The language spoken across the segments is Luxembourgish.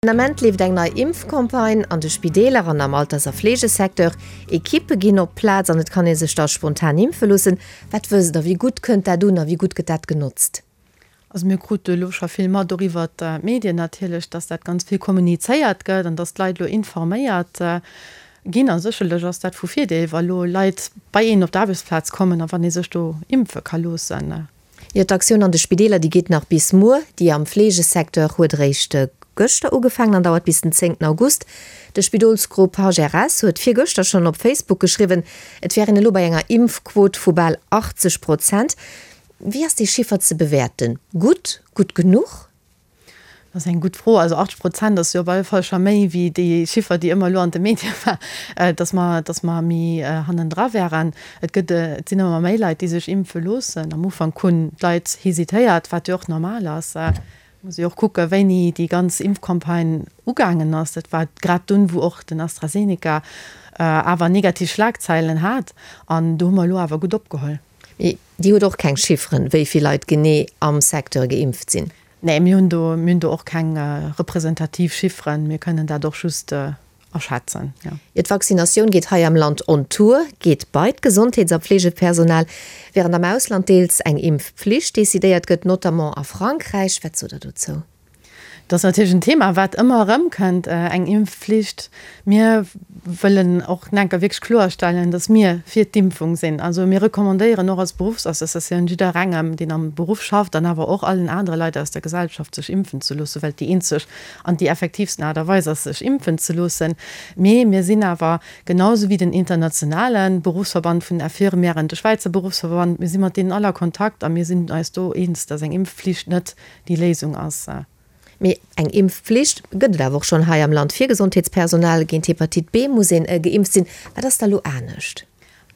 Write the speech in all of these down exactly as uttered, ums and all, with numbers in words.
Den Ament leeft eng nei Impfcampagne an de Spideeler an am Alters a Fleegesecteur. Ekippe ginn op d'Plaz an et kann ee sech da spontan impfe loossen. Wat wësst Der, wéi gutt kënnt dat un a wéi gutt gëtt dat genotzt? Also mir krute elo scho vill mat, och iwwer d'Medien natierlech, dass dat ganz vill kommunizéiert gëtt an dass d'Leit elo informéiert ginn. A sécherlech ass dat vu Virdeel, wa elo Leit bei een op d'Aarbechtsplaz kommen a wann ee sech do impfe ka loossen. Jo, d'Aktioun an de Spideeler, déi geet nach bis muer. Déi am Fleegesecteur huet eréischt gëschter ugefaangen an dauert bis den zéngten August. De Spidolsgrupp HRS huet virgëschter schonn op Facebook geschriwwen, et wär een elo bei enger Impfquot vu bal achtzeg Prozent. Wéi ass dee Chiffer ze bewäerten? Gutt? Gutt genuch? Dat ass eng gutt Fro. Also achtzeg Prozent ass jo op alle Fall scho méi wéi déi Chiffer, déi ëmmer elo an de Medie war, datt mer, datt mer méi hannendra wären. Et gëtt, et sinn ëmmer méi Leit, déi sech impfe loossen. Am Ufank hunn d'Leit hesitéiert, wat jo och normal ass. Et muss ee jo och kucken, wéini déi ganz Impfcampagne ugaangen ass. Dat war grad dunn, wou och den AstraZeneca awer negativ Schlagzeilen hat. An do hu mer elo awer gutt opgeholl. Mee Dir hutt och keng Chifferen, wéi vill Leit genee am Secteur geimpft sinn? Nee, mir hunn do, mir hunn do och keng representativ Chifferen. Mir kënnen dat och just aschätzen, jo. Jo, d'Vaccinatioun geet hei am Land on Tour, geet bei d'Gesondheets a Pflegepersonal, wärend am Ausland deels eng Impfpflicht decidéiert gëtt, notamment a Frankräich. Wat sot Der dozou? Dat ass natierlech en Thema, wat ëmmer erëmkënnt, eng Impfflicht. Mir wëllen och enker wierklech kloerstellen, datt mir fir d'Impfung sinn. Also mir recommandéieren och als Beruffsassociatioun jidderengem, deen am Beruff schafft, an awer och allen anere Leit aus der Gesellschaft, sech impfen ze loossen, well et déi eenzeg an déi effektiivsten Aart a Weis ass, sech impfen ze loossen. Mee mir sinn awer, genau esou wéi den internationale Beruffsverband vun den Infirmièren, de Schwäizer Beruffsverband, mir si mat deenen all a Kontakt a mir sinn eis do eens, datt eng Impfflicht net déi Léisung ass. Mee eng Impfflicht gëtt et awer och schonn hei am Land fir Gesondheetspersonal. Géint Hepatite B muss een geimpft sinn. Wat ass da lo anescht?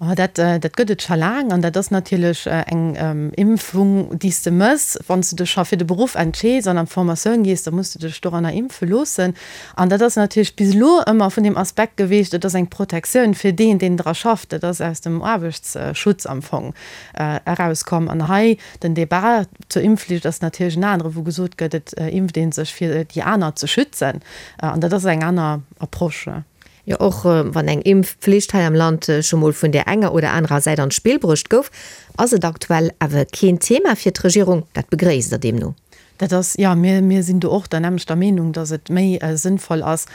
Oh, dat, dat gëtt et scho laang an dat ass natierlech eng Impfung, déi s de mëss, wann s de dech scho fir de Beruff entscheeds an an d'Formatioun gees, da muss de dech doranner impfe loossen. An dat ass natierlech bis elo ëmmer vun deem Aspekt geweecht, et ass eng Protektioun fir deen, deen dra schafft. Dat ass aus dem Aarbechtsschutz am Fong erauskomm. An hei den Débat zur Impfflicht ass natierlech en anere, wou gesot gëtt, et impft ee sech fir déi aner ze schützen. An dat ass eng aner Approche. Jo, och wann eng Impfflicht hei am Land scho mol vun där enger oder anerer Säit an d'Spill bruecht gouf, ass et aktuell awer keen Thema fir d'Regierung. Dat begréisst Der deemno? Dat ass, jo, mir, mir sinn do och der nämmlechter Meenung, datt et méi sënnvoll ass,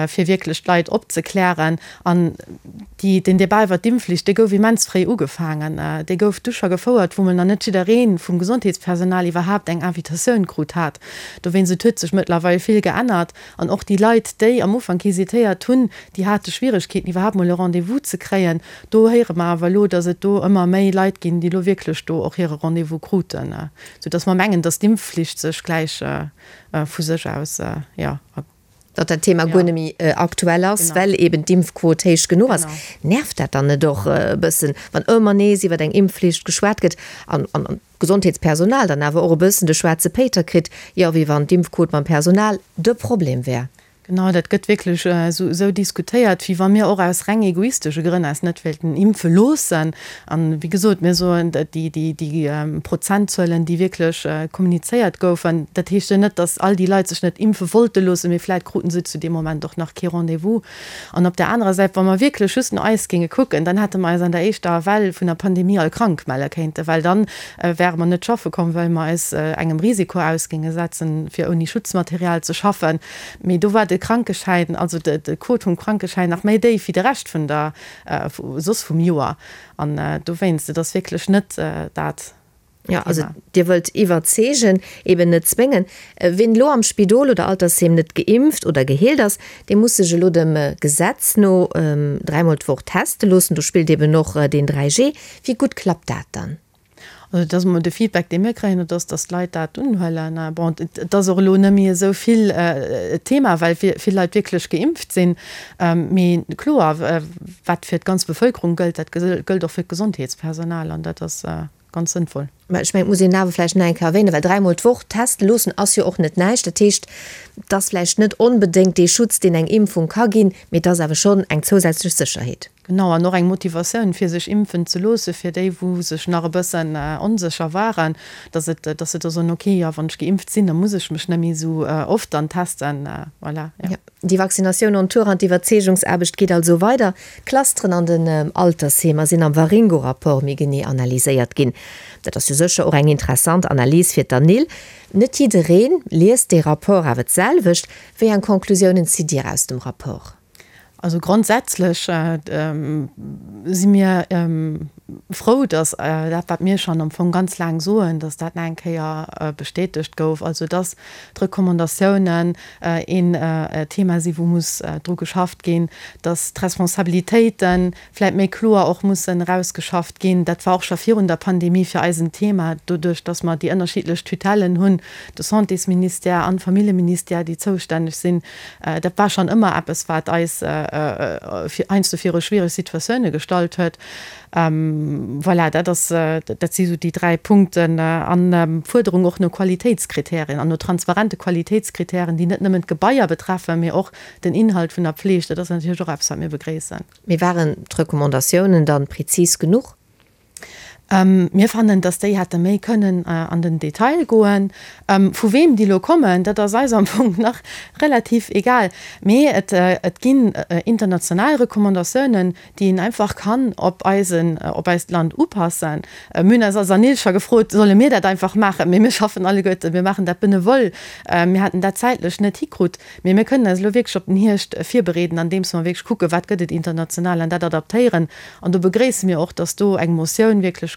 fir wierklech d'Leit opzeklären. An déi, den Débat iwwert d'Impfflicht, dee gouf immens fréi ugefaangen. Dee gouf du scho gefouert, wou mol nach net jidderee vum Gesondheetspersonal iwwerhaapt eng Invitatioun krut hat. Dowéinst, et huet sech mëttlerweil vill geännert. An och déi Leit, déi am Ufank hesitéiert hunn, déi hate Schwieregkeeten, iwwerhaapt mol e Rendez-vous ze kréien. Do héiere mer awer elo, datt et do ëmmer méi Leit ginn, déi elo wierklech do och hire Rendez-vous kruten, soudatt mer mengen, datt d'Impfflicht sech gläich vu sech aus, jo. Datt dat Thema guer net méi aktuell ass, well eben d'Impfquot héich genuch ass. Nervt dat dann net och e bëssen, wann ëmmer nees iwwer eng Impfflicht geschwat gëtt an d'Gesondheetspersonal dann awer och e bëssen de schwaarze Péiter kritt, jo wéi wann d'Impfquot beim Personal de Problem wär? Genau, dat gëtt wierklech esou diskutéiert, wéi wa mir och aus reng egoistesche Grënn eis net wéilten impfe loossen. An, wéi gesot, mir soen, déi, déi Prozentzuelen, déi wierklech kommunizéiert goufen, dat heescht jo net, datt all déi Leit sech net impfe wollte loossen, mee vläicht kruten se zu deem Moment och nach kee Rendez-vous. An op där anerer Säit, wa mer wierklech just no eis géinge kucken, dann hätte mer eis an der éischter Well vun der Pandemie all krank melle kéinten, well dann wäre mer net schaffe komm, well mer eis engem Risiko aus géinge setzen, fir ouni Schutzmaterial ze schaffen. Mee do war de Krankeschäin, also de Quot vum Krankeschäin nach méi déif wéi de Rescht vun der, soss vum Joer. An dowéinst, et ass wierklech net dat Jo, also Dir wëllt iwwerzeegen, eben net zwéngen. Ween elo am Spidol oder Altersheem net geimpft oder geheelt ass, dee muss sech elo dem Gesetz no dräimol d'Woch teste loossen. Do spillt eben och deen dräi G. Wéi gutt klappt dat dann? Also et ass emol de Feedback, dee mir kréien, et ass, datt d'Leit dat unhuelen. Bon, et ass och elo net méi esou vill Thema, well vill Leit wierklech geimpft sinn. Mee kloer, wat fir d'ganz Bevëlkerung gëllt, dat gëllt och fir d'Gesondheetspersonal an dat ass ganz sënnvoll. Mä ech mengen, et muss een awer vläicht nach eng Kéier erwänen, well dräimol d'Woch teste loossen ass jo och net näischt. Dat heescht, et ass vläicht net onbedéngt dee Schutz, deen eng Impfung ka ginn, mee et ass awer schonn eng zousätzlech Sécherheet. Genau, an och eng Motivatioun, fir sech impfen ze loossen, fir déi, wou sech nach e bëssen onsécher waren, dass et, dass se da soen, okay, jo, wann ech geimpft sinn, da muss ech mech net méi esou oft dann testen. Voilà, jo. Jo, déi Vaccinatioun on Tour an d'Iwwerzeegungsaarbecht geet also weider. D'Clusteren an den Altersheemer sinn am Waringo-Rapport méi genee analyséiert ginn. Dat ass jo sécher och eng interessant Analys fir d'ANIL. Net jidderee liest dee Rapport awer d'selwecht. Wéi eng Conclusiounen zitt Dir aus dem Rapport? Also grondsätzlech si mir frou, datt dat, wat mir schonn am Fong ganz laang soen, datt dat nach eng Kéier bestätegt gouf. Also datt d'Recommandatiounen een Thema si wou muss dru geschafft ginn, datt d'Responsabilitéite vläicht méi kloer och mussen erausgeschafft ginn. Dat war och scho virun der Pandemie fir eis en Thema, doduerch datt mer déi ënnerschiddlech Tutellen hunn, de Santésministère an de Familljeministère, déi zoustänneg sinn. Dat war schonn ëmmer eppes, wat eis heiansdo viru schwiereg Situatioune gestallt huet. Voilà, dat ass, dat si sou déi dräi Punkten. An d'Fuerderung och no Qualitéitskriterien an no transparente Qualitéitskriterien, déi net nëmmen d'Gebaier betreffen, mee och den Inhalt vun der Pfleg. Dat ass natierlech och eppes, wat mir begréissen. Mee waren d'Recommandatiounen dann prezis genuch? Mir fannen, dass déi hätte méi kënnen an den Detail goen. Vu weem déi elo kommen, dat ass eis am Fong nach relativ egal. Mee et ginn international Recommandatiounen, déi een einfach kann op eisen, op eist Land upassen. Mir hunn eis als ANIL scho gefrot, solle mir dat einfach maachen? Mee mir schaffen alleguerte, mir maachen dat benevol. Mir haten dat zäitlech net hikrut. Mee mir kënnen eis elo wierklech op den Hierscht virbereeden, andeems mer wierklech kucken, wat gëtt et international an dat adaptéieren. An do begréisse mir och, dass do eng Motioun wierklech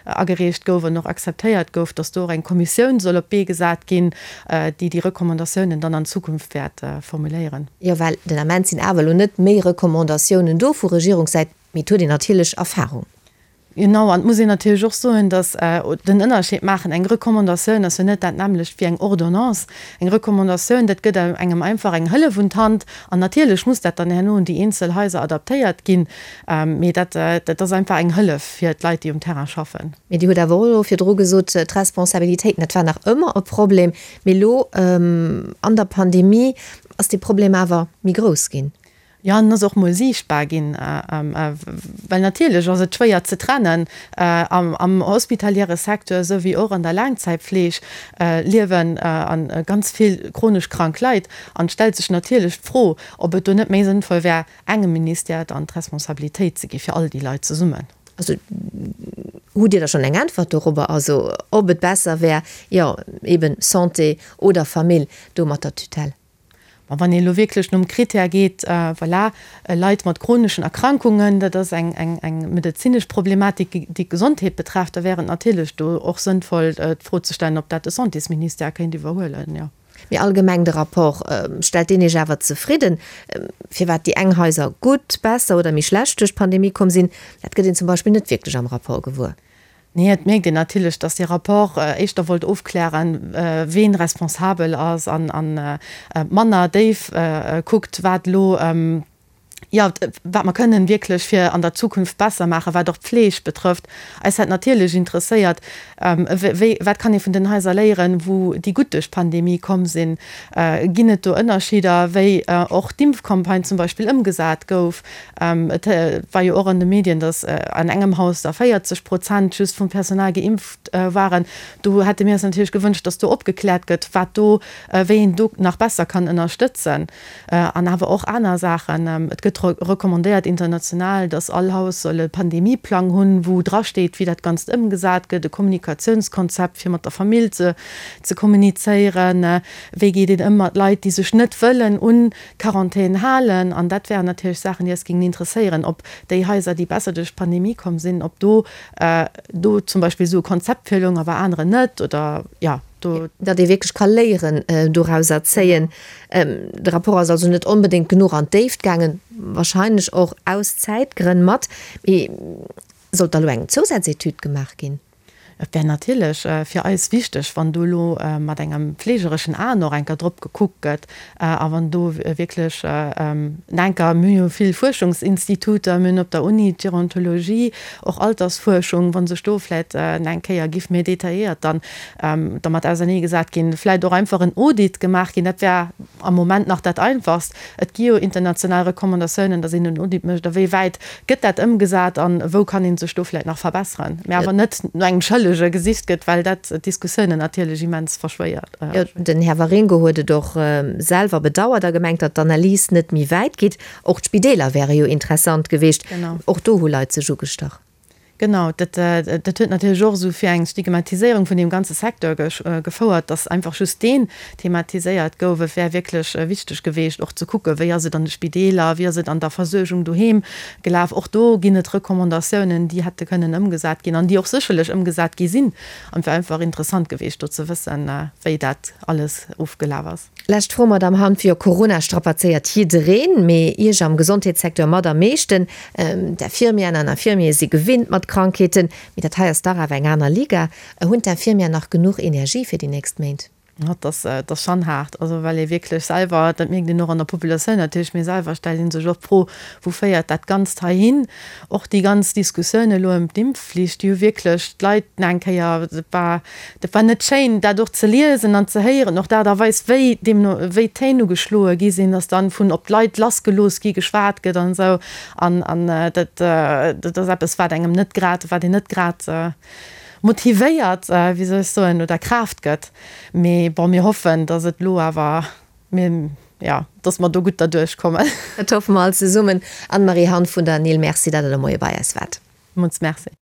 agereecht gouf an och akzeptéiert gouf, dass do och eng Kommissioun soll op d'Bee gesat ginn, déi déi Recommandatiounen dann an Zukunft wäert formuléieren. Jo, well den Ament sinn awer elo net méi Recommandatiounen do vu Regierungssäit, mee et huet een natierlech Erfahrung. Genau, an et muss een natierlech och soen, dass den Ënnerscheed maachen, eng Recommandatioun ass jo net dat nämmlecht wéi eng Ordonnance. Eng Recommandatioun, dat gëtt engem einfach eng Hëllef un d'Hand an natierlech muss dat dann herno un déi eenzel Haiser adaptéiert ginn, mee dat, dat ass einfach eng Hëllef fir d'Leit, déi um Terrain schaffen. Mee Dir hutt awer och elo virdru gesot, d'Responsabilitéiten, dat war nach ëmmer e Problem, mee elo an der Pandemie ass dee Problem awer méi grouss ginn. Jo, an ass och mol siichtbar ginn, well natierlech ass et schwéier ze trennen. Am hospitaliere Secteur esou wéi och an der Laangzäitfleeg liewen ganz vill chronesch krank Leit. An et stellt sech natierlech d'Fro, ob et do net méi sënnvoll wär, engem Ministère dann d'Responsabilitéit ze gi fir all déi Leit zesummen. Also hutt Dir da schonn eng Äntwert dorobber, also ob et besser wär, jo eben Santé oder Famill do mat der Tutelle? Ma wann een elo wierklech nom Critère geet, voilà, Leit mat chroneschen Erkrankungen, dat ass eng, eng, eng medezinesch Problematik, déi d'Gesondheet betrefft, da wär et natierlech do och sënnvoll, d'Fro ze stellen, ob dat de Santésministère kéint iwwerhuelen, jo. Mee allgemeng de Rapport, stellt deen Iech awer zefridden? Firwat déi eng Haiser gutt, besser oder méi schlecht duerch d'Pandemie komm sinn, dat gëtt een zum Beispill net wierklech am Rapport gewuer. Nee, et mierkt een natierlech, datt dee Rapport éischter wollt ofklären, ween responsabel ass an manner déif kuckt, wat elo, jo, wat mer kënnen wierklech fir an der Zukunft besser maachen, wat och d'Fleeg betrëfft. Eis hätt natierlech interesséiert, wéi, wat kann ee vun den Haiser léieren, wou déi gutt duerch d'Pandemie komm sinn? Ginn et do Ënnerscheeder, wéi och d'Impfcampagne zum Beispill ëmgesat gouf? Et war jo och an de Medien, datt an engem Haus da véierzeg Prozent just vum Personal geimpft waren. Do hätte mir eis natierlech gewënscht, datt do opgekläert gëtt, wat do, wéi een do nach besser kann ënnerstëtzen. An awer och aner Saachen. Et gëtt recommandéiert international, datt all Haus soll e Pandemieplang hunn, wou drasteet, wéi dat Ganzt ëmgesat gëtt, e Kommunikatiounskonzept, fir mat der Famill ze ze kommunizéieren, wéi geet een ëm mat Leit, déi sech net wëllen un d'Quarantän halen. An dat wären natierlech Saachen, déi eis géingen interesséieren, ob déi Haiser, déi besser duerch d'Pandemie komm sinn, ob do do zum Beispill esou e Konzept virloung a bei aneren net oder jo do. Datt ee wierklech ka Léieren dorauser zéien. De Rapport ass also net onbedéngt genuch an d'Déift gaangen, wahrscheinlech och aus Zäitgrënn mat. Mee sollt da lo eng Zousazetüd gemaach ginn? Et wär natierlech fir eis wichteg, wann do elo mat engem fleegereschen Aen och enker drop gekuckt gëtt a wann do wierklech enker, mir hu jo vill Fuerschungsinstituter, mir hunn op der Uni d'Gerontologie, och Altersfuerschung, wa sech do vläicht eng Kéier giff méi detailléiert dann dermat auserneegesat ginn, vläicht och einfach en Audit gemaach ginn, dat wär am Moment nach dat Einfachst. Et gi jo international Recommandatiounen, datt een en Audit mécht, a wéi wäit gëtt dat ëmgesat a wou kann ee sech do vläicht nach verbesseren, mä awer net no engem Schëllege gesicht gëtt, well dat d'Diskussiounen natierlech immens verschwéiert. Jo, den Här Waringo huet et och selwer bedauert a gemengt, datt d'Analys net méi wäit geet. Och d'Spideeler wäre jo interessant gewiescht. Och do hu Leit sech ugestach. Genau, dat dat huet natierlech och esou fir eng Stigmatiséierung vun deem ganze Secteur gefouert, dass einfach just deen thematiséiert gouf. Et wär wierklech wichteg geweecht och ze kucken, wéi ass et an de Spideeler, wéi ass et an der Versuergung doheem gelaf. Och do ginn et Recommandatiounen, déi hätte kënnen ëmgesat ginn an déi och sécherlech ëmgesat gi sinn. An et wär einfach interessant geweecht do ze wëssen, wéi dat alles ofgelaf ass. Lescht Fro, Madamm Hanff, Jo, Corona strapazéiert jiddereen, mee Iech am Gesondheetssecteur mat am meeschten. D'Infirmieren an Infirmiere si gewinnt mat Krankheeten, mee dat hei ass dach awer eng aner Liga. Hunn d'Infirmieren nach genuch Energie fir déi nächst Méint? Dat ass, dat ass schonn haart, also well ee wierklech selwer, dat mierkt een och an der Populatioun natierlech, mee selwer stellt ee sech och d'Fro, wou féiert dat Ganzt hei hin? Och déi ganz Diskussioun elo ëm d'Impfflicht, déi hu wierklech d'Leit nach eng Kéier, dat war, dat war net schéin, dat och ze liesen an ze héieren, och d'Aart a Weis, wéi deemno wéi d'Téin ugeschloe gi sinn, dass dann vun op d'Leit lassgelooss gi geschwat gëtt an esou. An, an dat, dat ass eppes, wat engem net grad, wat een net grad motivéiert, wéi soll ech soen, oder Kraaft gëtt. Mee bon, mir hoffen, dass et elo awer, mir, jo, dass mer do gutt derduerch kommen. Dat hoffe mer all zesummen. Anne-Marie Hanff vun der ANIL, Merci, datt Der de Moie bei eis waart. Villmools Merci.